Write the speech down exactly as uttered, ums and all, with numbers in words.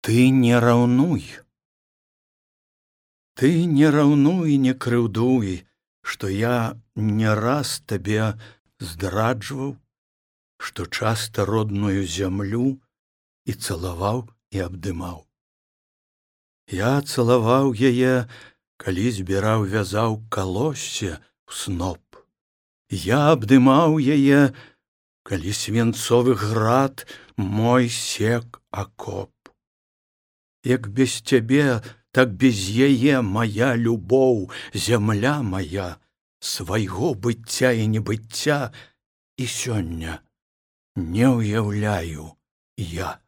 Ты не раўнуй. Ты не раўнуй, не крыўдуй, што я не раз табе здраджваў, што часта родную зямлю і цалаваў і абдымаў. Я цалаваў яе, калі збіраў, вязаў калоссе ў сноп. Я абдымаў яе, калі свінцовы град мой сек акоп. Як без цябе, так без яе мая любоў, зямля моя, свайго быцця і небыцця і сёння не ўяўляю я.